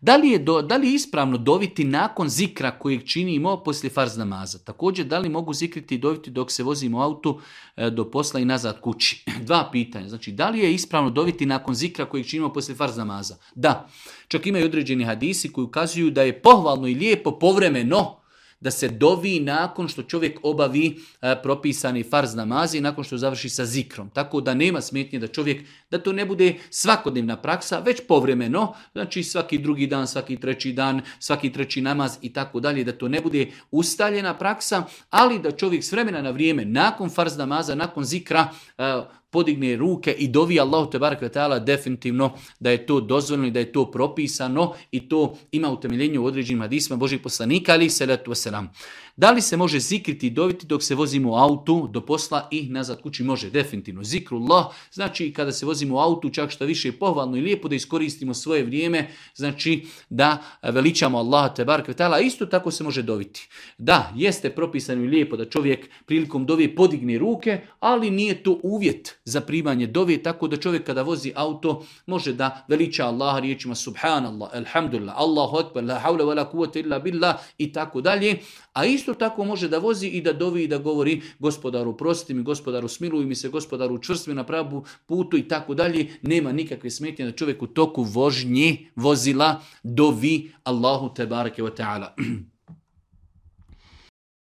Da li je ispravno doviti nakon zikra kojeg činimo poslije farz namaza? Također, da li mogu zikriti i doviti dok se vozimo u autu do posla i nazad kući? Dva pitanja. Znači, da li je ispravno doviti nakon zikra kojeg činimo poslije farz namaza? Da. Čak imaju određeni hadisi koji ukazuju da je pohvalno i lijepo povremeno da se dovi nakon što čovjek obavi propisani farz namazi, nakon što završi sa zikrom. Tako da nema smetnje da čovjek, da to ne bude svakodnevna praksa, već povremeno, znači svaki drugi dan, svaki treći dan, svaki treći namaz i tako dalje, da to ne bude ustaljena praksa, ali da čovjek s vremena na vrijeme, nakon farz namaza, nakon zikra, podigne ruke i dovi Allahu tebarek ve taala, definitivno da je to dozvoljeno i da je to propisano i to ima utemeljenje u određenim hadisima Božih poslanika alejhi selatu vesselam. Da li se može zikriti i doviti dok se vozimo u autu do posla i nazad kući? Može, definitivno. Zikrullah, znači kada se vozimo u autu, čak što više je pohvalno i lijepo da iskoristimo svoje vrijeme, znači da veličamo Allaha tebarek ve taala, isto tako se može doviti. Da, jeste propisano i lijepo da čovjek prilikom dove podigne ruke, ali nije to uvjet za primanje dove, tako da čovjek kada vozi auto može da veliča Allaha riječima subhanallah, alhamdulillah, Allahu akbar, la havla wa la kuvvete illa billah i tako dalje. A isto tako može da vozi i da dovi i da govori gospodaru prosti mi, gospodaru smiluj mi se, gospodaru učvrsti me na pravu putu i tako dalje. Nema nikakve smetnje da čovjek u toku vožnje vozila dovi Allahu tebareke ve taala.